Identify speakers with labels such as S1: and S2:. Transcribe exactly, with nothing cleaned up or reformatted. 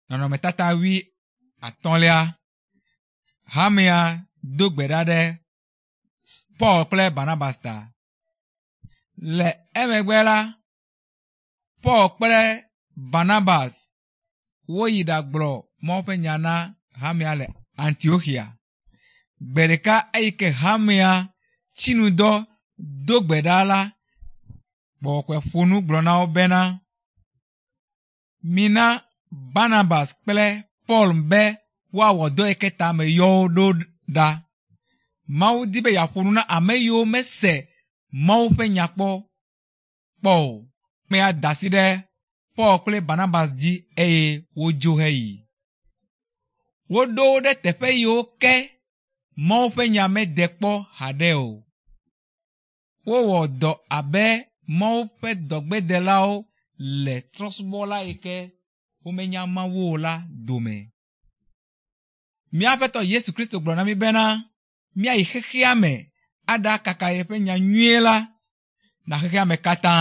S1: Nɔnɔmetata wui atɔ̃lia. Hamea do gbe ɖa ɖe Paul kple Barnabas ta. Le emegbe la, Paul kple Barnabas woyi ɖagblɔ Mawu ƒe nya na hamea le Antioxia. Gbe ɖeka eyi ke hamea tsinudɔ do gbe ɖa la, gbɔgbɔ ƒo nu gblɔ na wo bena, mina Barnabas kple Paul be woawɔ dɔ yi ke ta meyɔ wo ɖo ɖa. Mawu di be yeaƒo nu na ame yiwo mese Mawu ƒe nya kpɔ kpɔ o. Mea da asi ɖe Paul kple Barnabas dzi eye wodzo heyi. Woɖo wo ɖe teƒe yiwo ke Mawu ƒe nya mede kpɔ haɖe o. Wowɔ dɔ abe Mawu ƒe dɔgbedelawo le trɔ̃subɔla yi ke womenya Mawu o la dome. Mía Aƒetɔ Yesu Kristo gblɔ na mí bena míayi xexea me aɖakaka yeƒe nya nyuie la na xexea me katã.